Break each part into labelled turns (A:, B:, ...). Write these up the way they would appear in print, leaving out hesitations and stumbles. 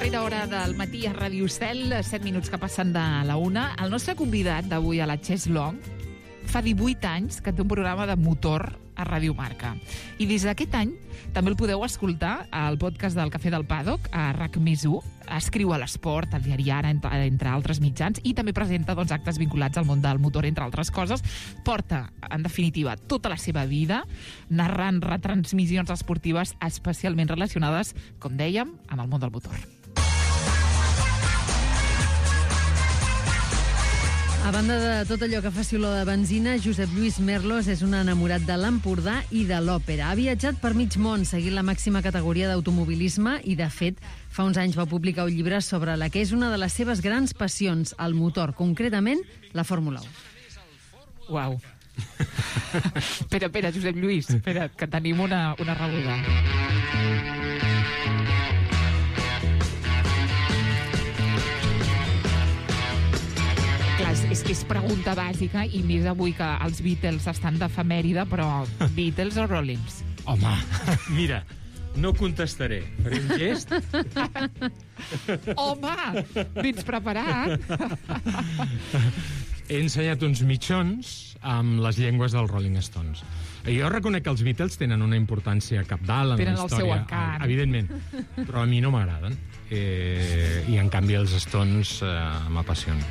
A: Darrera hora del matí a Ràdio Cel, 7 minuts que passen de la 1. El nostre convidat d'avui a la Chess Long fa 18 anys que té un programa de motor a Ràdio Marca. I des d'aquest any també el podeu escoltar al podcast del Cafè del Paddock, a RAC+1. Escriu a l'Esport, al diari Ara, entre altres mitjans, i també presenta actes vinculats al món del motor, entre altres coses. Porta, en definitiva, tota la seva vida narrant retransmissions esportives especialment relacionades, com dèiem, amb el món del motor.
B: A banda de tot allò que faci olor de benzina, Josep Lluís Merlos és un enamorat de l'Empordà i de l'òpera. Ha viatjat per mig món seguint la màxima categoria d'automobilisme i, de fet, fa uns anys va publicar un llibre sobre la que és una de les seves grans passions, el motor, concretament la Fórmula 1.
A: Uau. Espera, Josep Lluís, espera, que tenim una rebuda. És que és pregunta bàsica, i més avui que els Beatles estan d'efemèride, però Beatles o Rollins?
C: Home, mira, no contestaré. Faré un gest.
A: Home, vens preparat?
C: He ensenyat uns mitjons amb les llengües dels Rolling Stones. Jo reconec que els Beatles tenen una importància cabdal en la història.
A: Tenen el seu encant.
C: Evidentment, però a mi no m'agraden. I en canvi els Stones m'apassionen.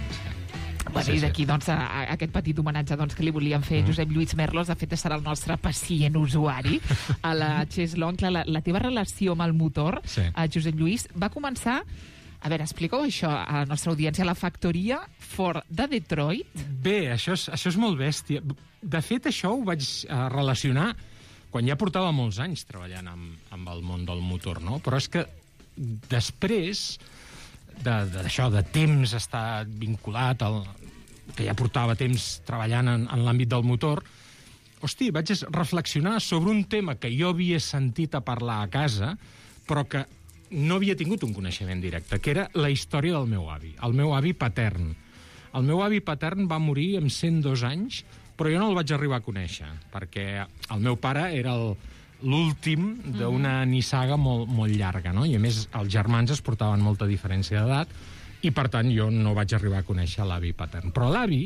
A: Bueno, i d'aquí, aquest petit homenatge que li volíem fer Josep Lluís Merlos. De fet, serà el nostre pacient usuari a la Chess Long. La teva relació amb el motor, Josep Lluís, va començar... A veure, explica-ho això a la nostra audiència. La factoria Ford de Detroit.
C: Bé, això és molt bèstia. De fet, això ho vaig relacionar quan ja portava molts anys treballant amb el món del motor, no? Però és que després d'això, de temps estar vinculat, que ja portava temps treballant en l'àmbit del motor, hosti, vaig reflexionar sobre un tema que jo havia sentit a parlar a casa, però que no havia tingut un coneixement directe, que era la història del meu avi, el meu avi patern. El meu avi patern va morir amb 102 anys, però jo no el vaig arribar a conèixer, perquè el meu pare era l'últim d'una nissaga molt llarga, no? I a més els germans es portaven molta diferència d'edat, i per tant jo no vaig arribar a conèixer l'avi patern. Però l'avi,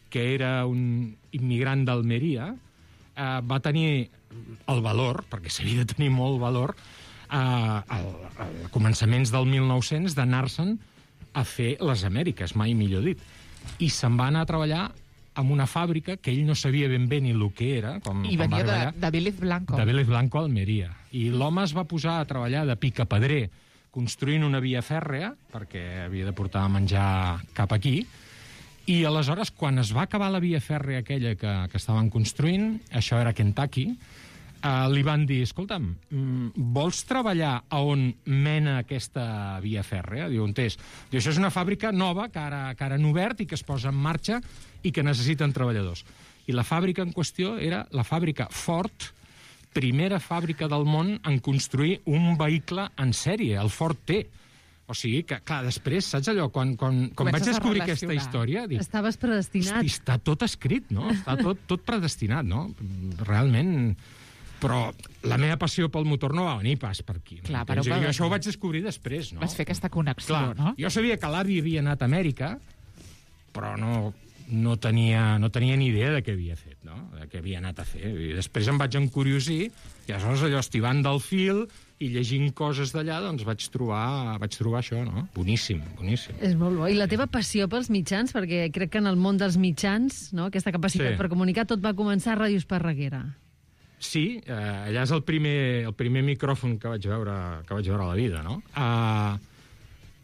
C: que era un immigrant d'Almeria, va tenir el valor, perquè s'havia de tenir molt valor, a començaments del 1900 d'anar-se'n a fer les Amèriques, mai millor dit. I se'n va anar a treballar en una fàbrica que ell no sabia ben bé ni el que era.
A: I venia de Vélez Blanco.
C: De Vélez Blanco, Almeria. I l'home es va posar a treballar de picapedrer, construint una via fèrrea, perquè havia de portar menjar cap aquí. I aleshores, quan es va acabar la via fèrrea aquella que estaven construint, això era Kentucky, li van dir, escolta'm, vols treballar a on mena aquesta via fèrrea? Diu, on és? Diu, això és una fàbrica nova que ara han obert i que es posa en marxa i que necessiten treballadors. I la fàbrica en qüestió era la fàbrica Ford, primera fàbrica del món en construir un vehicle en sèrie, el Ford T. O sigui que, clar, després, saps allò, quan vaig descobrir aquesta història... Dic,
B: estaves predestinat.
C: Hosti, està tot escrit, no? Està tot predestinat, no? Realment... Però la meva passió pel motor no va venir pas per aquí.
A: Clar,
C: jo això ho vaig descobrir després, no?
A: Vas fer aquesta connexió,
C: clar,
A: no?
C: Jo sabia que l'avi havia anat a Amèrica, però no tenia ni idea de què havia fet, no? De què havia anat a fer. I després em vaig encuriosir, i aleshores allò, estivant del fil i llegint coses d'allà, doncs vaig trobar això, no? Boníssim.
B: És molt bo. I la teva passió pels mitjans, perquè crec que en el món dels mitjans, no?, aquesta capacitat per comunicar, tot va començar a Ràdio Esparreguera.
C: Sí, allà és el primer micròfon que vaig veure a la vida, no?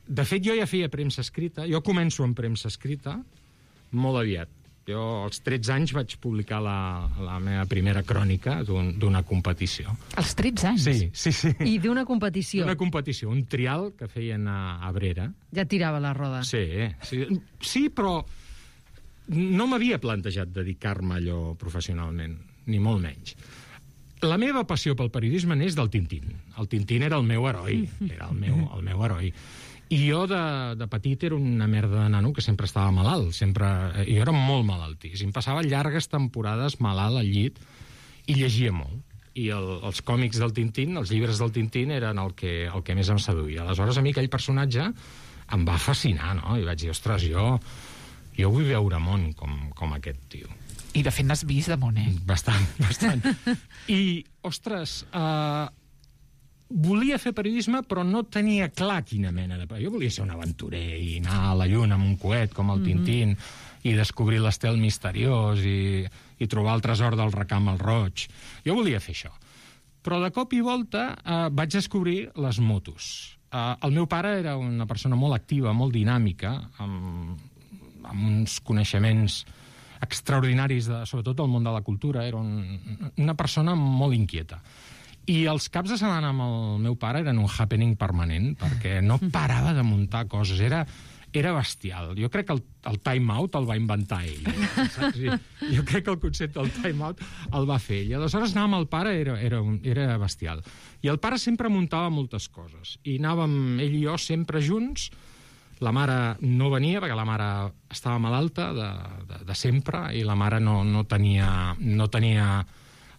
C: De fet, jo ja feia premsa escrita. Jo començo amb premsa escrita molt aviat. Jo, als 13 anys, vaig publicar la meva primera crònica d'una competició.
A: Als 13 anys?
C: Sí.
B: I d'una competició?
C: D'una competició, un trial que feien a Abrera.
B: Ja tirava la roda.
C: Sí, però no m'havia plantejat dedicar-me a allò professionalment, ni molt menys. La meva passió pel periodisme n'és del Tintín. El Tintín era el meu heroi, era el meu heroi. I jo, de petit, era una merda de nano que sempre estava malalt. Jo era molt malaltís. Em passava llargues temporades malalt al llit i llegia molt. i els còmics del Tintín, els llibres del Tintín, eren el que més em seduïa. Aleshores, a mi aquell personatge em va fascinar, no? I vaig dir, ostres, jo vull veure món com aquest tio.
A: I de fet n'has vist de món,
C: Bastant. I, ostres, volia fer periodisme, però no tenia clar quina mena de... Jo volia ser un aventurer i anar a la lluna amb un coet com el Tintín i descobrir l'estel misteriós i trobar el tresor del recam al roig. Jo volia fer això. Però de cop i volta vaig descobrir les motos. El meu pare era una persona molt activa, molt dinàmica, amb uns coneixements extraordinaris, sobretot del món de la cultura. Era una persona molt inquieta. I els caps de setmana amb el meu pare eren un happening permanent, perquè no parava de muntar coses. Era bestial. Jo crec que el time-out el va inventar ell. Saps? Jo crec que el concepte del time-out el va fer ell. Aleshores, anar amb el pare era bestial. I el pare sempre muntava moltes coses. I anàvem, ell i jo, sempre junts. La mare no venia, perquè la mare estava malalta de sempre, i la mare no tenia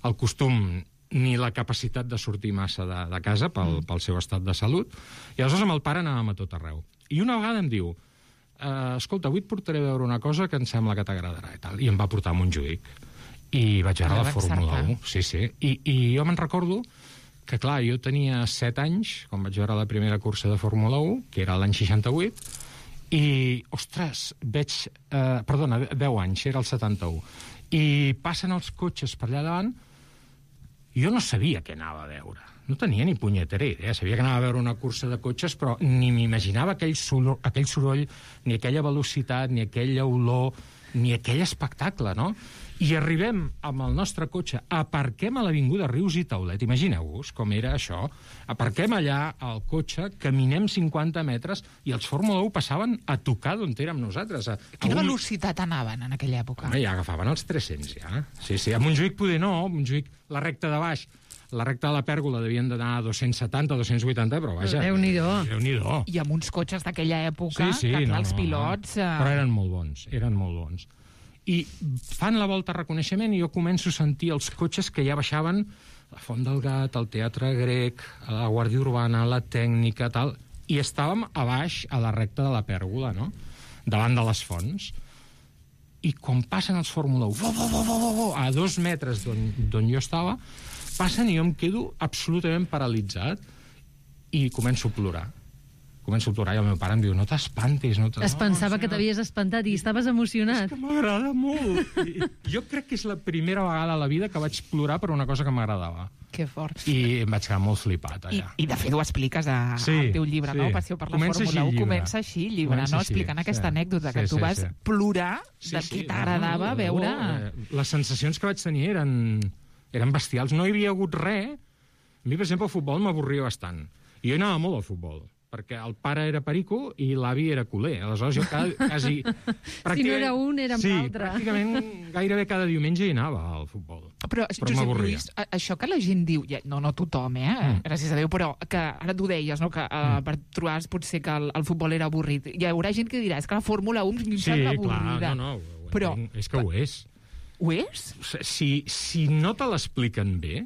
C: el costum ni la capacitat de sortir massa de casa pel seu estat de salut. I aleshores amb el pare anàvem a tot arreu. I una vegada em diu, escolta, avui et portaré a veure una cosa que em sembla que t'agradarà i tal. I em va portar a Montjuïc. I vaig veure la Fórmula 1. Sí. I jo me'n recordo que, clar, jo tenia 7 anys, quan vaig veure la primera cursa de Fórmula 1, que era l'any 68, i, ostres, perdona, 10 anys, era el 71. I passen els cotxes per allà davant. Jo no sabia què anava a veure. No tenia ni punyetera idea. Sabia que anava a veure una cursa de cotxes, però ni m'imaginava aquell soroll, ni aquella velocitat, ni aquella olor, ni aquell espectacle, no? I arribem amb el nostre cotxe, aparquem a l'avinguda Rius i Taulet, imagineu-vos com era això, aparquem allà el cotxe, caminem 50 metres i els Fórmula 1 passaven a tocar d'on érem nosaltres.
A: Quina velocitat anaven en aquella època?
C: Home, ja agafaven els 300, ja. Sí, a Montjuïc poder no, a Montjuïc la recta de baix, la recta de la pèrgola devien d'anar a 270, 280, però vaja...
B: Déu-n'hi-do.
A: I amb uns cotxes d'aquella època, que els pilots...
C: Però eren molt bons. I fan la volta a reconeixement i jo començo a sentir els cotxes que ja baixaven la Font del Gat, el Teatre Grec, la Guàrdia Urbana, la Tècnica, tal, i estàvem a baix, a la recta de la pèrgola, no?, davant de les fonts. I quan passen els Fórmula 1, a 2 metres d'on jo estava, passen i jo em quedo absolutament paralitzat i començo a plorar. I el meu pare em diu, no t'espantis.
B: Es pensava que t'havies espantat i estaves emocionat.
C: És que m'agrada molt. Jo crec que és la primera vegada a la vida que vaig plorar per una cosa que m'agradava.
A: Que fort.
C: I em vaig quedar molt flipat, allà.
A: I de fet ho expliques al teu llibre, no? Passió per la Fórmula 1. Comença així el llibre, no? Explicant aquesta anècdota, que tu vas plorar de què t'agradava veure...
C: Les sensacions que vaig tenir eren bestials. No hi havia hagut res. A mi, per exemple, el futbol m'avorria bastant. I jo anava molt al futbol, perquè el pare era perico i l'avi era culer. Aleshores jo quasi...
B: Si no era un, era amb l'altre.
C: Sí, pràcticament gairebé cada diumenge hi anava al futbol.
A: Però Josep Lluís, això que la gent diu, no tothom, gràcies a Déu, però que ara tu deies, no?, que per trobar potser que el futbol era avorrit. Hi haurà gent que dirà, és que la Fórmula 1 em sembla avorrida.
C: Sí, clar, és que ho és.
A: Ho és?
C: Si no te l'expliquen bé,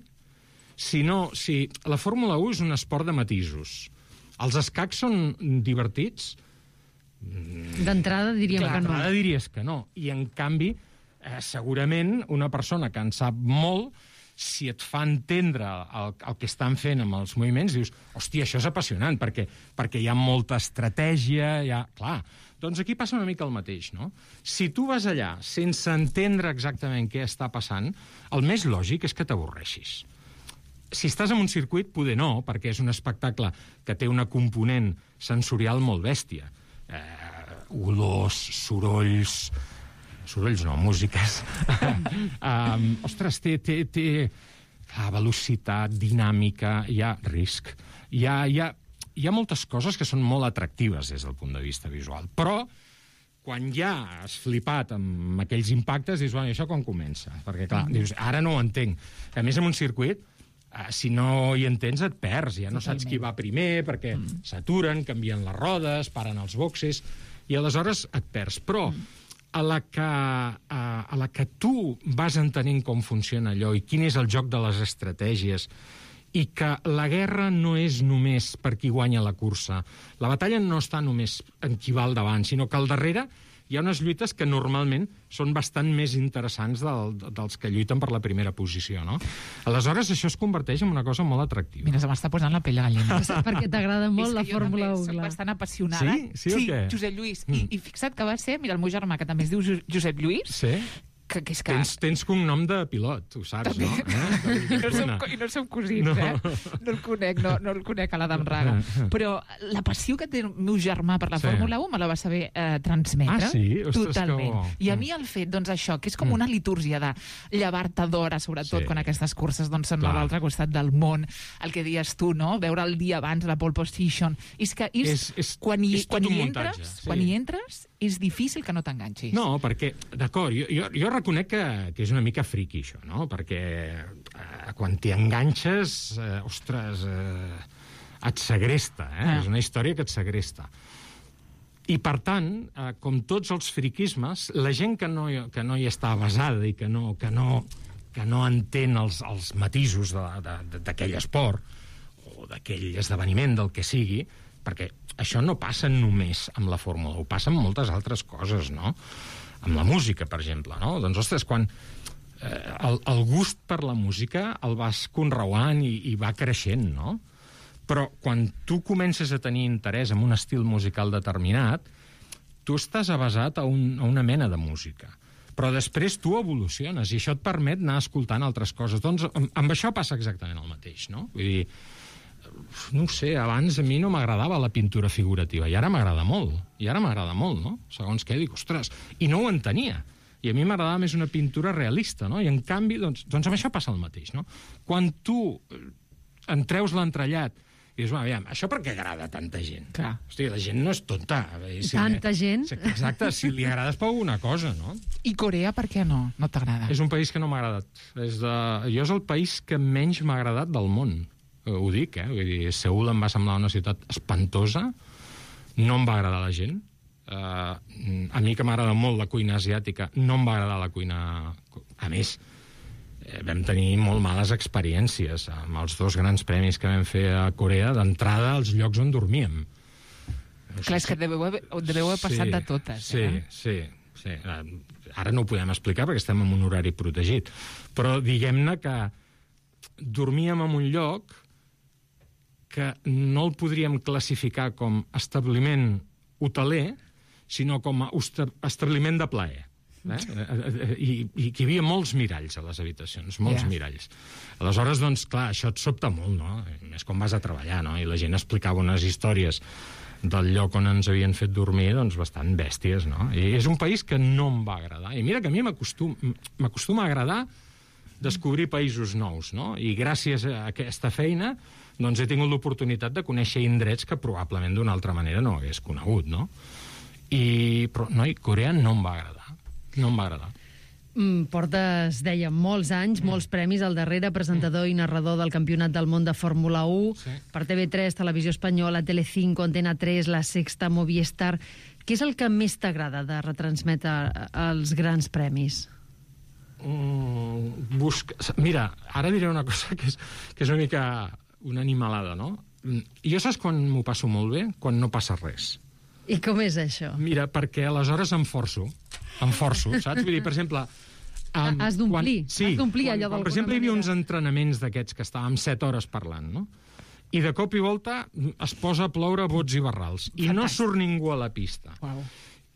C: si la Fórmula 1 és un esport de matisos. Els escacs són divertits?
B: D'entrada diríem que no.
C: D'entrada diries que no. I, en canvi, segurament una persona que en sap molt, si et fa entendre el que estan fent amb els moviments, dius, hòstia, això és apassionant, perquè hi ha molta estratègia, Clar, doncs aquí passa una mica el mateix, no? Si tu vas allà sense entendre exactament què està passant, el més lògic és que t'avorreixis. Si estàs en un circuit, poder no, perquè és un espectacle que té una component sensorial molt bèstia. Olors, sorolls no, músiques. Ostres, té velocitat, dinàmica, hi ha risc. Hi ha moltes coses que són molt atractives des del punt de vista visual. Però, quan ja has flipat amb aquells impactes, dius, bueno, això quan comença? Perquè, clar, dius, ara no ho entenc. A més, en un circuit, si no hi entens, et perds. Ja no saps qui va primer, perquè s'aturen, canvien les rodes, paren els boxes, i aleshores et perds. Però a la que tu vas entenent com funciona allò i quin és el joc de les estratègies, i que la guerra no és només per qui guanya la cursa. La batalla no està només en qui va al davant, sinó que al darrere hi ha unes lluites que normalment són bastant més interessants dels que lluiten per la primera posició, no? Aleshores, això es converteix en una cosa molt atractiva.
A: Mira, se m'està posant la pell de gallina.
B: Perquè t'agrada molt la Fórmula 1,
A: soc
B: clar.
A: bastant apassionada.
C: Sí o què?
A: Josep Lluís. I fixa't que va ser, mira, el meu germà, que també es diu Josep Lluís,
C: Sí?
A: que és que...
C: Tens cognom de pilot, ho saps, no?
A: I no som cosins, No el conec, a l'Adam Raga. Però la passió que té el meu germà per la Fórmula 1 me la va saber transmetre.
C: Ah, sí? Ostres,
A: totalment.
C: que bo.
A: I a mi el fet, doncs això, que és com una litúrgia de llevar-te d'hora, sobretot quan aquestes curses doncs, són a l'altre costat del món, el que dius tu, no? Veure el dia abans la pole position. És que quan hi entres, és difícil que no t'enganxis.
C: No, perquè, d'acord, jo reconec que és una mica friqui, això, no? Perquè quan t'hi enganxes, et segresta, És una història que et segresta. I, per tant, com tots els friquismes, la gent que no hi està basada i que no entén els matisos d'aquell esport o d'aquell esdeveniment, del que sigui, perquè això no passa només amb la Fórmula 1, passa amb moltes altres coses, no? Amb la música, per exemple, no? Doncs, ostres, quan el gust per la música el vas conreuant i va creixent, no? Però quan tu comences a tenir interès en un estil musical determinat, tu estàs avasat a una mena de música. Però després tu evoluciones i això et permet anar escoltant altres coses. Doncs amb això passa exactament el mateix, no? Vull dir, no ho sé, abans a mi no m'agradava la pintura figurativa, i ara m'agrada molt, no? Segons què, dic, ostres, i no ho entenia. I a mi m'agradava més una pintura realista, no? I en canvi, doncs amb això passa el mateix, no? Quan tu en treus l'entrellat i dius, aviam, això per què agrada a tanta gent?
A: Clar.
C: Hosti, la gent no és tonta.
B: Tanta gent?
C: Exacte, si li agrades per alguna cosa, no?
A: I Corea, per què no t'agrada?
C: És un país que no m'ha agradat. Jo és el país que menys m'ha agradat del món. Ho dic, Vull dir, Seül em va semblar una ciutat espantosa, no em va agradar la gent. A mi, que m'agrada molt la cuina asiàtica, no em va agradar la cuina... A més, vam tenir molt males experiències amb els 2 grans premis que vam fer a Corea, d'entrada als llocs on dormíem.
A: Clar, és que deveu haver passat de totes.
C: Sí. Ara no ho podem explicar perquè estem en un horari protegit. Però diguem-ne que dormíem en un lloc que no el podríem classificar com establiment hoteler, sinó com a establiment de plaer. I que hi havia molts miralls a les habitacions, molts miralls. Aleshores, doncs, clar, això et sobta molt, no? Més quan vas a treballar, no? I la gent explicava unes històries del lloc on ens havien fet dormir, doncs, bastant bèsties, no? I és un país que no em va agradar. I mira que a mi m'acostuma a agradar descobrir països nous, no? I gràcies a aquesta feina doncs he tingut l'oportunitat de conèixer indrets que probablement d'una altra manera no hagués conegut, no? Però, Corea no em va agradar. No em va agradar.
B: Portes, dèiem, molts anys, molts premis al darrere, presentador i narrador del Campionat del Món de Fórmula 1, per TV3, Televisió Espanyola, Telecinco, Antena 3, La Sexta, Movistar. Què és el que més t'agrada de retransmetre els grans premis?
C: Mira, ara diré una cosa que és una mica una animalada, no? Jo saps quan m'ho passo molt bé? Quan no passa res.
B: I com és això?
C: Mira, perquè aleshores em forço, saps? Vull dir, per exemple...
B: Has d'omplir, allò del...
C: Per exemple, hi havia uns entrenaments d'aquests que estàvem 7 hores parlant, no? I de cop i volta es posa a ploure bots i barrals. I no surt ningú a la pista.
A: Uau.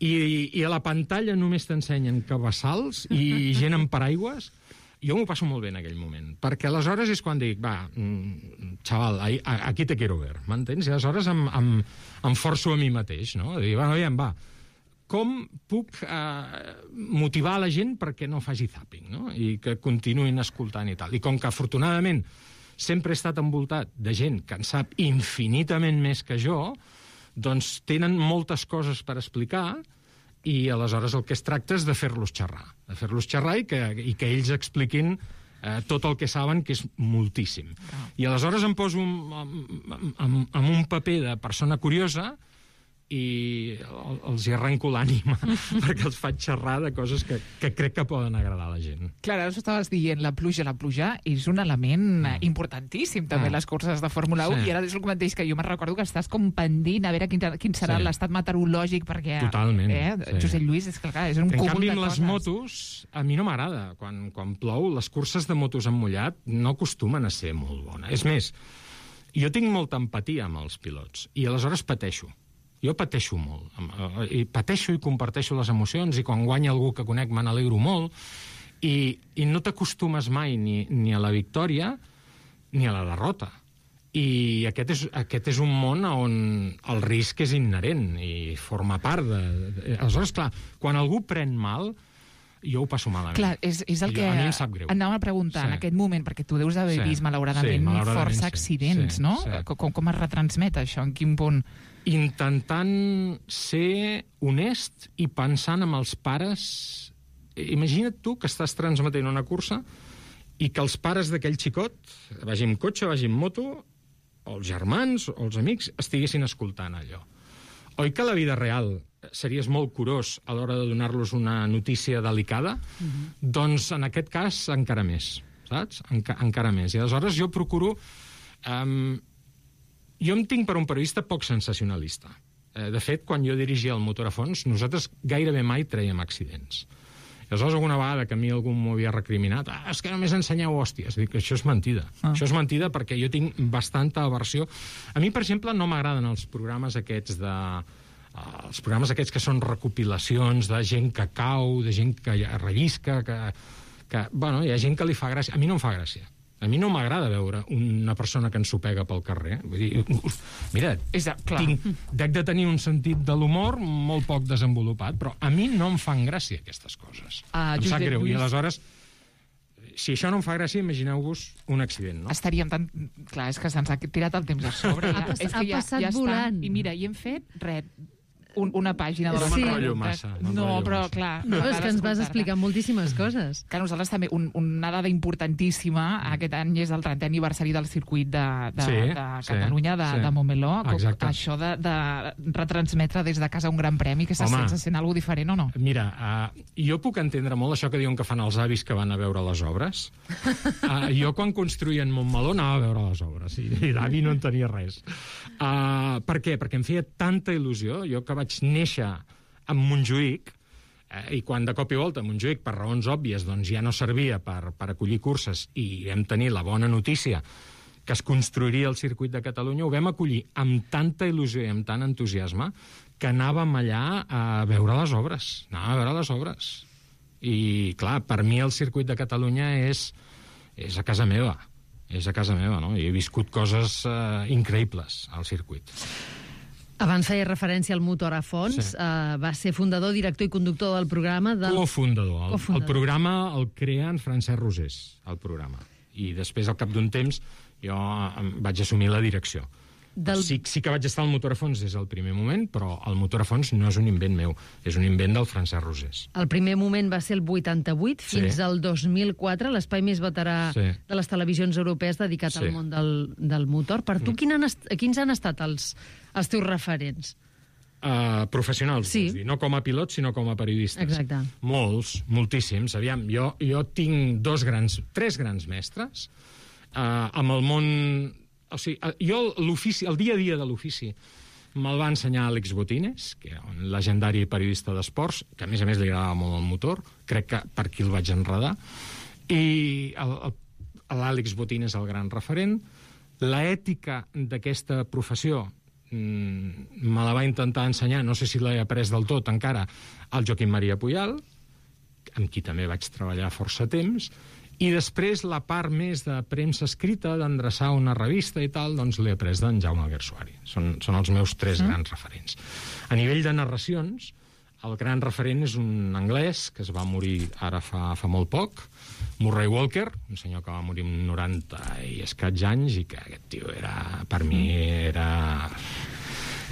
C: I a la pantalla només t'ensenyen cabassals i gent amb paraigües. Jo m'ho passo molt bé en aquell moment, perquè aleshores és quan dic, va, xaval, aquí te quiero ver, m'entens? I aleshores em forço a mi mateix, no? Dir, aviam, va, com puc motivar la gent perquè no faci zapping, no? I que continuïn escoltant i tal. I com que, afortunadament, sempre he estat envoltat de gent que en sap infinitament més que jo, doncs tenen moltes coses per explicar i aleshores el que es tracta és de fer-los xerrar. De fer-los xerrar i que ells expliquin tot el que saben, que és moltíssim. I aleshores em poso amb un paper de persona curiosa i els hi arrenco l'ànima perquè els faig xerrar de coses que crec que poden agradar a la gent.
A: Clar, ara estaves dient la pluja és un element importantíssim també les curses de Fórmula 1 i ara és el que mateix que jo me'n recordo que estàs com pendent a veure quin serà l'estat meteorològic perquè...
C: Totalment.
A: Josep Lluís, és que clar, és un cúmul de coses.
C: En canvi, amb les motos, a mi no m'agrada. Quan plou, les curses de motos en mullat no acostumen a ser molt bones. És més, jo tinc molta empatia amb els pilots i aleshores pateixo. Jo pateixo molt. I pateixo i comparteixo les emocions i quan guanya algú que conec me n'alegro molt i no t'acostumes mai ni a la victòria ni a la derrota. I aquest és un món on el risc és inherent i forma part de... Aleshores, clar, quan algú pren mal, jo ho passo malament.
A: Clar, és el que
C: a mi em sap greu.
A: Anàvem a preguntar en aquest moment, perquè tu deus haver vist malauradament força accidents, no? Com es retransmet això? En quin punt?
C: Intentant ser honest i pensant en els pares... Imagina't tu que estàs transmetent una cursa i que els pares d'aquell xicot, vagi amb cotxe, vagi amb moto, o els germans, o els amics, estiguessin escoltant allò. Oi que a la vida real series molt curós a l'hora de donar-los una notícia delicada? Doncs en aquest cas encara més, saps? Encara més. I aleshores jo procuro... Jo em tinc per un periodista poc sensacionalista. De fet, quan jo dirigia el Motor a Fons, nosaltres gairebé mai traiem accidents. I aleshores, alguna vegada que a mi algú m'ho havia recriminat, és que només ensenyeu hòsties. Dic que això és mentida. Això és mentida perquè jo tinc bastanta aversió. A mi, per exemple, no m'agraden els programes aquests que són recopilacions de gent que cau, de gent que rellisca, bueno, hi ha gent que li fa gràcia. A mi no em fa gràcia. A mi no m'agrada veure una persona que ensopega pel carrer. Vull dir, mira, dec de tenir un sentit de l'humor molt poc desenvolupat, però a mi no em fan gràcia aquestes coses. Em sap greu. I aleshores, si això no em fa gràcia, imagineu-vos un accident, no?
A: Estaríem tan... Clar, és que se'ns ha tirat el temps a sobre.
B: Ha passat volant.
A: I mira, hi hem fet res... Una pàgina de la
C: m'enrotllo massa.
A: No, però clar...
B: No, és que ens vas explicar moltíssimes coses.
A: Que nosaltres també, una dada importantíssima, aquest any és el 30è aniversari del circuit de Catalunya, de Montmeló. Això de retransmetre des de casa un gran premi, que se sent alguna diferent o no?
C: Mira, jo puc entendre molt això que diuen que fan els avis que van a veure les obres. Jo, quan construïen Montmeló, anava a veure les obres, i d'avi no en tenia res. Per què? Perquè em feia tanta il·lusió. Jo que vaig néixer a Montjuïc, i quan de cop i volta Montjuïc, per raons òbvies, doncs ja no servia per acollir curses i vam tenir la bona notícia que es construiria el circuit de Catalunya, ho vam acollir amb tanta il·lusió i amb tant entusiasme que anàvem allà a veure les obres. I, clar, per mi el circuit de Catalunya és a casa meva. És a casa meva, no? I he viscut coses increïbles al circuit.
B: Abans feia referència al Motor a Fons. Va ser fundador, director i conductor del programa.
C: Cofundador. El programa el crea en Francesc Rosés, el programa. I després, al cap d'un temps, jo vaig assumir la direcció. Sí que vaig estar al Motor a Fons des del primer moment, però el Motor a Fons no és un invent meu, és un invent del Francesc Rosés.
B: El primer moment va ser el 88, fins al 2004, l'espai més veterà de les televisions europees dedicat al món del motor. Per tu, quins han estat els teus referents?
C: Professionals, vols dir. No com a pilots, sinó com a periodistes.
B: Exacte.
C: Molts, moltíssims. Aviam, jo tinc tres grans mestres amb el món... O sigui, jo el dia a dia de l'ofici me'l va ensenyar Àlex Botines, que era un legendari periodista d'esports, que a més li agradava molt el motor, crec que per aquí el vaig enredar, i l'Àlex Botines és el gran referent. L'ètica d'aquesta professió me la va intentar ensenyar, no sé si l'he après del tot encara, el Joaquim Maria Puyal, amb qui també vaig treballar força temps, i després la part més de premsa escrita, d'endreçar una revista i tal, doncs l'he après d'en Jaume Alguersuari. Són els meus tres grans referents. A nivell de narracions, el gran referent és un anglès que es va morir ara fa molt poc, Murray Walker, un senyor que va morir amb 90 i escaig anys, i que aquest tio per mi era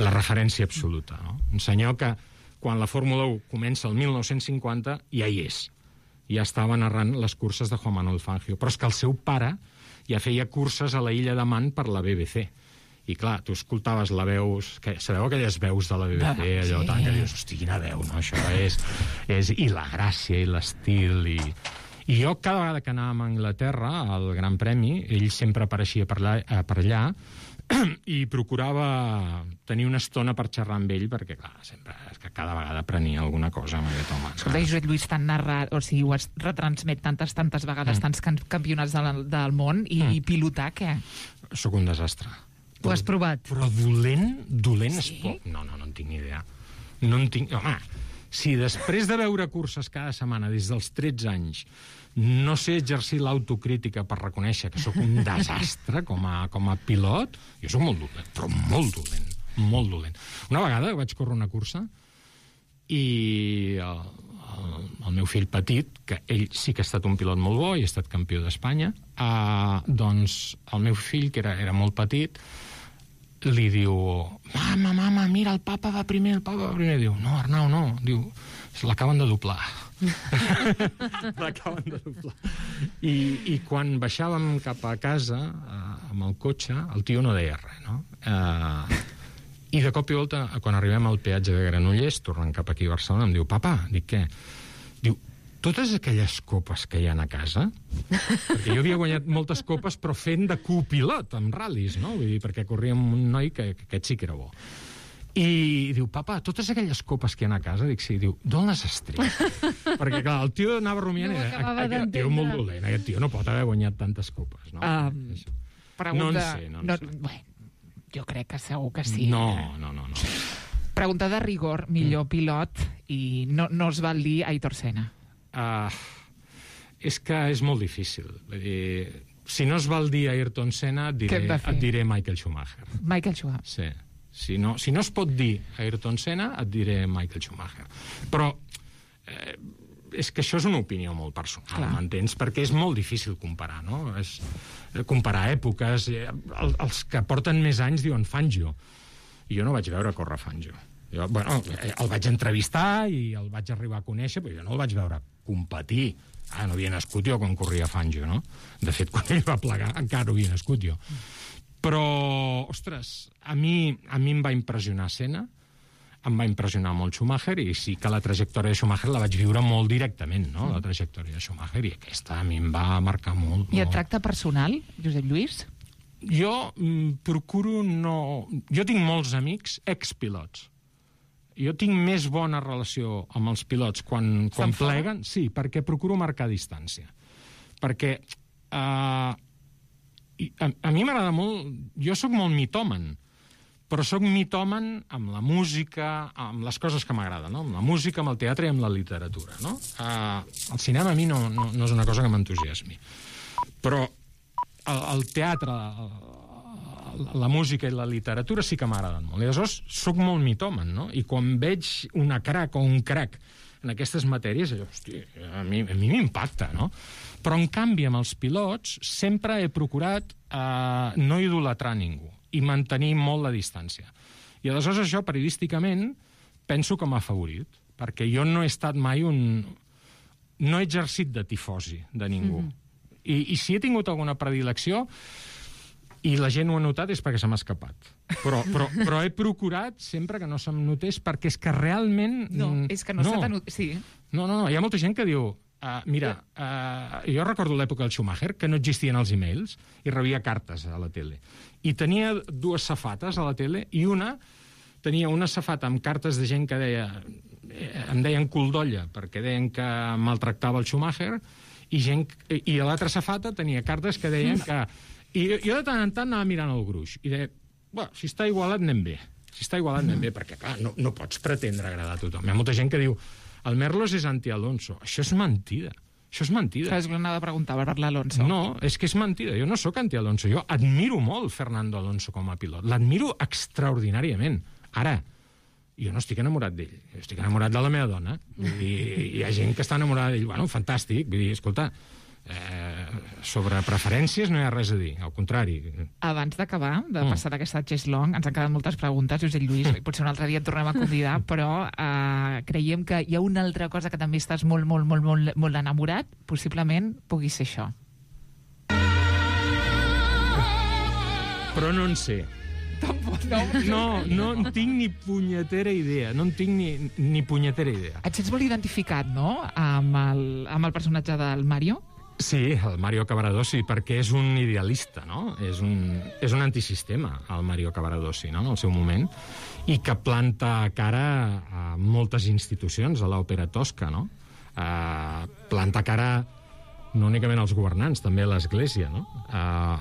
C: la referència absoluta, no? Un senyor que, quan la Fórmula 1 comença el 1950, ja hi és. Ja estava narrant les curses de Juan Manuel Fangio. Però és que el seu pare ja feia curses a la Illa de Man per la BBC. I clar, tu escoltaves la veus... Sabeu aquelles veus de la BBC, allò tant que dius, hosti, quina veu, no? Això és... I la gràcia, i l'estil, I jo, cada vegada que anàvem a Anglaterra, al Gran Premi, ell sempre apareixia per allà i procurava tenir una estona per xerrar amb ell, perquè, clar, sempre és que cada vegada aprenia alguna cosa amb aquest home.
A: Escolta, Josep Lluís, tan narrat, o sigui, ho has retransmet tantes vegades, tants campionats del món, i pilotar, què?
C: Sóc un desastre.
B: Ho has provat?
C: Però dolent
A: Sí?
C: és poc. No en tinc ni idea. No en tinc... Home, si després de veure curses cada setmana des dels 13 anys no sé exercir l'autocrítica per reconèixer que sóc un desastre com a pilot, jo sóc molt dolent, però molt dolent. Una vegada vaig córrer una cursa i el meu fill petit, que ell sí que ha estat un pilot molt bo i ha estat campió d'Espanya, doncs el meu fill, que era molt petit, li diu, mama, mira, el papa va primer. Diu, no, Arnau, no. Diu, l'acaben de doblar. L'acaben de doblar. I quan baixàvem cap a casa, amb el cotxe, el tio no deia res, no? I de cop i volta, quan arribem al peatge de Granollers, tornant cap aquí a Barcelona, em diu, papa, dic, què? Diu, totes aquelles copes que hi ha a casa, perquè jo havia guanyat moltes copes, però fent de copilot, amb ral·lis, no? Vull dir, perquè corria amb un noi que aquest sí que era bo. I diu, papa, totes aquelles copes que hi ha a casa, dic, sí, diu, d'on les has tret? Perquè, clar, el tio anava rumiant, aquest tio molt dolent, aquest tio no pot haver guanyat tantes copes, no?
A: Pregunta...
C: No en sé.
A: Bueno, jo crec que segur que sí.
C: No.
A: Pregunta de rigor, millor pilot, i no es val dir Aitor Senna.
C: És que és molt difícil. Vull dir, si no es val dir Ayrton Senna, et diré Michael Schumacher.
A: Michael Schumacher.
C: Sí. Si no es pot dir Ayrton Senna, et diré Michael Schumacher. Però és que això és una opinió molt personal, m'entens? Perquè és molt difícil comparar, no? Comparar èpoques. Els que porten més anys diuen Fangio. I jo no vaig veure córrer Fangio. Jo, el vaig entrevistar i el vaig arribar a conèixer, però jo no el vaig veure competir. No havia nascut jo quan corria Fangio, no? De fet, quan ell va plegar, encara no havia nascut jo. Però, ostres, a mi em va impressionar Senna, em va impressionar molt Schumacher, i sí que la trajectòria de Schumacher la vaig viure molt directament, no?, la trajectòria de Schumacher, i aquesta a mi em va marcar molt.
A: I et tracta personal, Josep Lluís?
C: Jo procuro no... Jo tinc molts amics expilots. Jo tinc més bona relació amb els pilots quan pleguen, sí, perquè procuro marcar distància. Perquè a mi m'agrada molt... Jo sóc molt mitòman, però sóc mitòman amb la música, amb les coses que m'agraden, no? Amb la música, amb el teatre i amb la literatura, no? El cinema a mi no és una cosa que m'entusiasmi. Però el teatre, la música i la literatura sí que m'agraden molt. I aleshores soc molt mitòman, no? I quan veig una crac o un crac en aquestes matèries, hosti, a mi m'impacta, no? Però, en canvi, amb els pilots sempre he procurat no idolatrar ningú i mantenir molt la distància. I aleshores això, periodísticament, penso que m'ha afavorit, perquè jo no he estat mai no he exercit de tifosi de ningú. I si he tingut alguna predilecció, i la gent ho ha notat, és perquè se m'ha escapat. Però he procurat sempre que no se'm notés, perquè és que realment...
A: No, és que no se t'ha notat, sí.
C: No, hi ha molta gent que diu... jo recordo l'època del Schumacher, que no existien els e-mails, i rebia cartes a la tele. I tenia dues safates a la tele, i tenia una safata amb cartes de gent que deia... em deien cul d'olla, perquè deien que maltractava el Schumacher, i a l'altra safata tenia cartes que deien que... I jo de tant en tant anava mirant el gruix, i deia, si està igualat anem bé. Perquè, clar, no pots pretendre agradar a tothom. Hi ha molta gent que diu, el Merlos és anti-Alonso. Això és mentida.
A: Saps que anava a preguntar per l'Alonso?
C: No, és que és mentida. Jo no sóc anti-Alonso. Jo admiro molt Fernando Alonso com a pilot. L'admiro extraordinàriament. Ara, jo no estic enamorat d'ell. Jo estic enamorat de la meva dona. I hi ha gent que està enamorada d'ell. Bueno, fantàstic. Vull dir, escolta, sobre preferències no hi ha res a dir, al contrari.
A: Abans d'acabar, de passar d'aquesta Chess Long, ens han quedat moltes preguntes, Josep Lluís, potser un altre dia et tornem a convidar, però creiem que hi ha una altra cosa que també estàs molt, molt, molt, molt, molt enamorat, possiblement pugui ser això.
C: Però no en sé.
A: Tampoc, no.
C: No en tinc ni punyetera idea. No en tinc ni punyetera idea.
A: Et sents molt identificat, no?, amb el personatge del Mario?
C: Sí, el Mario Cavaradossi, perquè és un idealista, no? És un antisistema, el Mario Cavaradossi, no?, en el seu moment, i que planta cara a moltes institucions, a l'òpera tosca, no? Planta cara no únicament als governants, també a l'Església, no?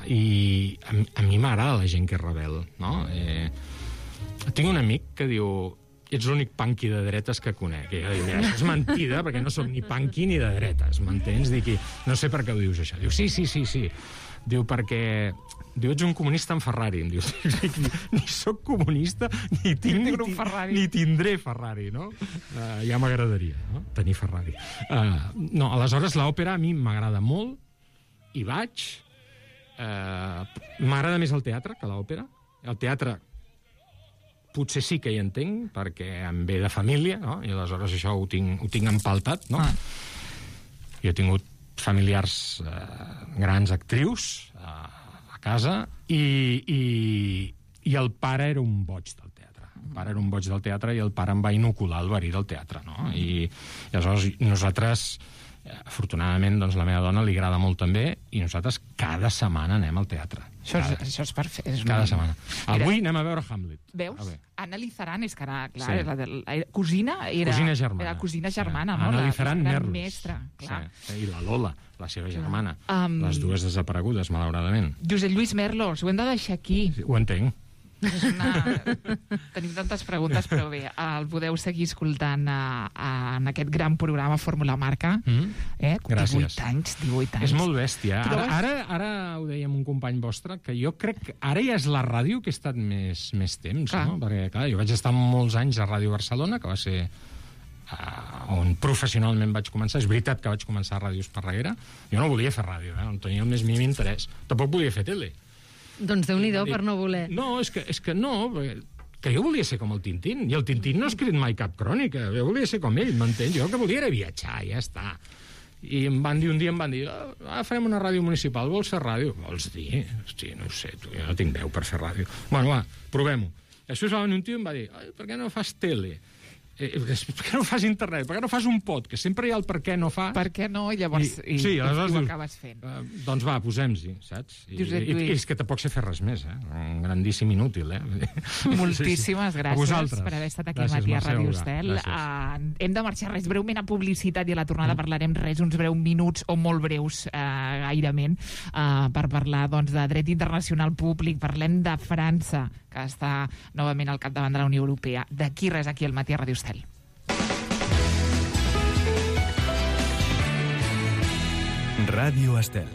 C: I a mi m'agrada la gent que és rebel, no? Tinc un amic que diu: ets l'únic punky de dretes que conec. I jo dic: mira, això és mentida, perquè no soc ni punky ni de dretes, m'entens? Dic: no sé per què ho dius, això. Diu: sí. Diu: perquè... Diu: ets un comunista en Ferrari. Em diu: ni soc comunista, ni tinc un Ferrari. Ni tindré Ferrari, no? Ja m'agradaria, no?, tenir Ferrari. No, aleshores, l'òpera a mi m'agrada molt, i vaig. M'agrada més el teatre que l'òpera. El teatre potser sí que hi entenc, perquè em ve de família, no?, i aleshores això ho tinc empaltat, no? Jo he tingut familiars grans actrius a casa, i el pare era un boig del teatre. El pare era un boig del teatre i el pare em va inocular el verí del teatre, no? I aleshores nosaltres, afortunadament, doncs la meva dona li agrada molt també, i nosaltres cada setmana anem al teatre.
A: Això és perfecte.
C: Cada setmana. Avui anem a veure Hamlet.
A: Veus? Anna Lizaran, és que era, clar, la cosina era...
C: Cosina germana.
A: Era cosina germana, no?
C: Anna Lizaran Merlos.
A: Mestra, clar.
C: Sí. I la Lola, la seva germana. Les dues desaparegudes, malauradament.
A: Josep Lluís Merlos, ho hem de deixar aquí.
C: Sí, ho entenc.
A: Tenim tantes preguntes, però bé, el podeu seguir escoltant en aquest gran programa Fórmula Marca.
C: Gràcies.
A: 18 anys.
C: És molt bèstia. Ara ho dèiem un company vostre, que jo crec que ara ja és la ràdio que he estat més temps, no? Perquè, clar, jo vaig estar molts anys a Ràdio Barcelona, que va ser on professionalment vaig començar. És veritat que vaig començar a Ràdio Esparreguera. Jo no volia fer ràdio, no tenia el més mínim interès. Tampoc volia fer tele.
B: Doncs Déu-n'hi-do per no voler.
C: No, és que no, que jo volia ser com el Tintín, i el Tintín no ha escrit mai cap crònica, jo volia ser com ell, m'entens? Jo el que volia era viatjar, ja està. I un dia em van dir: farem una ràdio municipal, vols fer ràdio? Vols dir? Hosti, no ho sé, jo no tinc veu per fer ràdio. Bueno, va, provem-ho. Després va venir un tio i em va dir: per què no fas tele? Per què no fas internet? Per què no fas un podcast? Sempre hi ha el per què no fas.
A: Per què no? Llavors,
C: sí, aleshores
A: ho acabes fent.
C: Doncs va, posem-s'hi, saps? I és que tampoc sé fer res més, Un grandíssim inútil,
A: Moltíssimes gràcies per haver estat aquí al matí a Ràdio Estel. Hem de marxar breument a publicitat, i a la tornada parlarem uns breus minuts, o molt breus, gairement, per parlar de dret internacional públic. Parlem de França, que està novament al capdavant de la Unió Europea. D'aquí res, aquí al matí a Ràdio Estel.
D: Ràdio Estel.